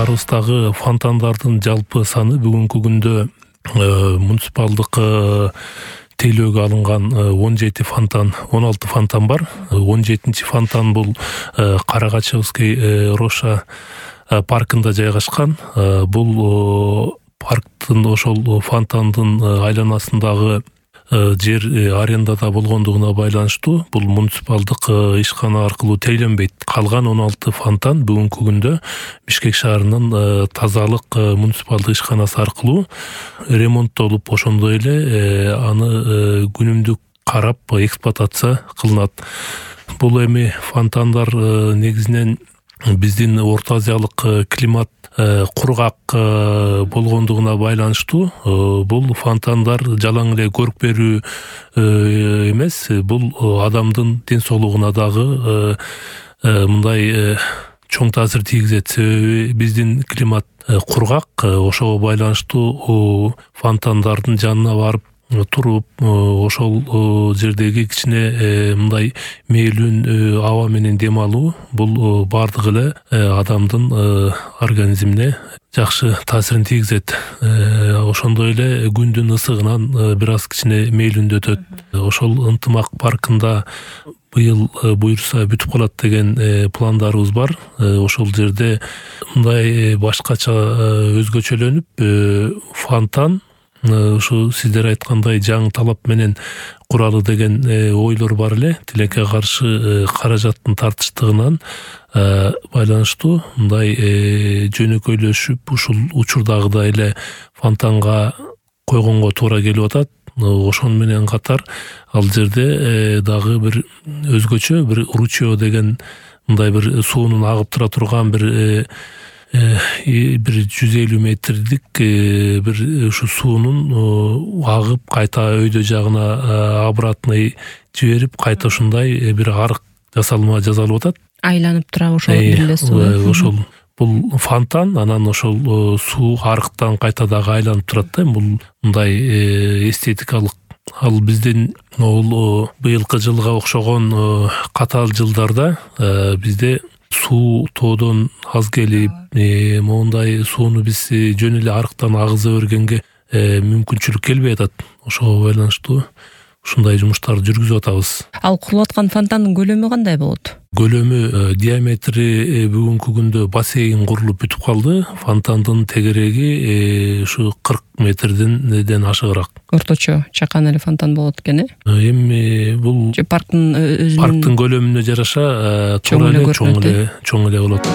шаарыбыздагы фонтандардын жалпы саны бүгүнкү күндө муниципалдык тейлөөгө алынган 17 фонтан, 16 фонтан бар. 17-чи фонтан бул Карагачевский Роша паркында жайгашкан. Бул парктын ошол фонтандын айланасындагы жер арендада болгондугуна байланыштуу бул муниципалдык ишкана аркылуу тейлөнбөйт. Калган 16 фонтан бүгүнкү күндө Бишкек шаарынын тазалык муниципалдык ишканасы аркылуу ремонттолуп, ошондой эле аны күнүмдүк карап эксплуатация кылынат. Бул эми фонтандар негизинен биздин Орто Азиялык климат кургак болгондугуна байланыштуу бул фонтандар жалаң эле көрүп берүү эмес, бул адамдын ден соолугуна дагы мындай чоң таасир тийгизет. Себеби биздин климат кургак, ошого байланыштуу фонтандардын жанына барып туруп, ошол жердеги кичине мындай мээлүүн аба менен дем алуу бул бардыгы эле адамдын организмине жакшы таасирин тийгизет. Ошондой эле күндүн ысыгынан бир аз кичине мээлүүндөтөт. Ошол ынтымак паркында быйыл буюрса бүтүп калат деген пландарыбыз бар. Ошол жерде мындай башкача өзгөчөлөнүп фонтан ушу сиздер айткандай жаңы талап менен куралы деген ойлор бар эле. Тилекке каршы каражаттын тартыштыгынан байланыштуу мындай жөнөкөйлөшүп ушул учурдагыдай эле фонтанга койгонго туура келип атат. Ошону менен катар ал жерде дагы бир өзгөчө бир ручье деген мындай бир суунун агып тура турган бир 150 метрлик бир ушу суунун агып кайта өйдө жагына обратный жиберип кайта ушундай бир арык жасалып атат. Айланып тура ошол эле суу. Ошол бул фонтан, анан ошол суу арыктан кайта дагы айланып турат да. Бул мындай эстетикалык. Ал биздин быйылкы жылга окшогон катаал жылдарда бизде суу тоодон аз келип, моундай сууну биз жөн эле арыктан агыза бергенге мүмкүнчүлүк келбей атат. Ошого байланыштуу ушундай жумуштарды жүргүзүп атабыз. Ал курулуп аткан фонтандын көлөмү кандай болот? Көлөмү, диаметри бүгүнкү күндө бассейн курулуп бүтүп калды. Фонтандын тегереги ушу 40 метрден ашыгыраак. Орточо чакан эле фонтан болот экен, Эми бул парктын өзүнүн көлөмүнө жараша чоң эле болот.